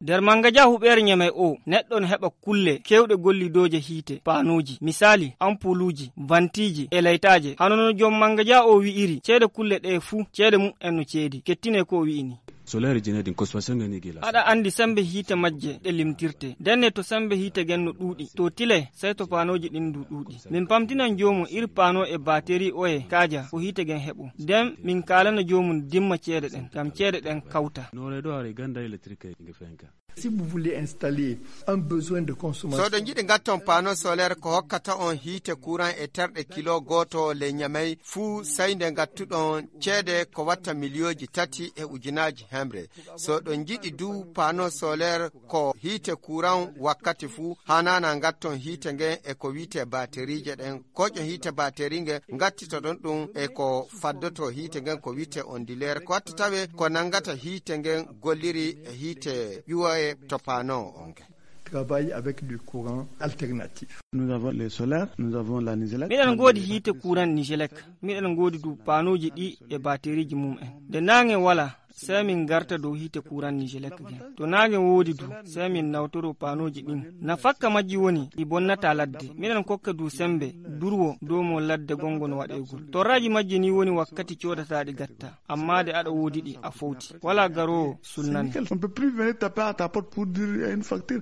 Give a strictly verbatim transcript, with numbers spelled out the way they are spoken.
Nder mangaja huɓeere Ñamey o, neɗɗo no heɓa kulle keewɗe gollidooje hiite, paanooji, misaali, ampuuluuji, vantiiji e laytaaje. Hano no joom mangaja o wi'iri, ceede kulle ɗee fuu, ceede mum en no ceedi. Kettine ko o wi'i ni. Solaire jine din kosfasyon gani gila. Aɗa anndi sembe hiite majje ɗe limtirte. Ndenne to sembe hiite gen no ɗuuɗi, to tile, sey to paanooji ɗin du ɗuuɗi. Min pamtinan joomum iri paanoo e baateri oye kaaja ko hiite gen heɓo. Nden min kaalana joomum dimma ceede ɗen, ngam ceede ɗen kawta. Noore ɗo are ganda électrique nge fenka. Si vous voulez installer un besoin de consommation. So ɗon njiɗi ngatton paano solaire ko hokkata on hiite courant e terɗe kilo gooto le Ñamey fuu, sey nde ngattuɗon ceede ko watta miliyooji tati e ujunaaji hemre. So ɗon njiɗi du paano solaire ko hiite courant wakkati fuu, hanana ngatton hiite ngen e ko wi'ete bateriije ɗen. Koƴo hiite bateri ngen ngattitoɗon ɗum e ko faddoto hiite ngen ko wi'ete onduleur. Ko watta tawe ko nangata hiite ngen golliri e hiite ƴuwoye to paano on ngen. Travaille avec du courant alternatif. Nous avons les solaires, nous avons la Nigelec. Miɗen ngoodi hiite courant Nigelec. Miɗen ngoodi du paanooji ɗi e bateriiji mum en. Nde naange wala, sey min ngarta dow hiite courant Nigelec gen. To naange woodi du, sey min nawtoro paanooji ɗin. Nafakka majji woni ɗi bonnata ladde. Miɗen kokka du sembe, durwo, dow mo ladde gongo no waɗeegol. Torraaji majji ni woni wakkati coodata ɗi gatta. Amma de aɗa woodi ɗi a fowti. Wala garoowo sulnane. On peut plus venir taper à ta porte pour dire une facture.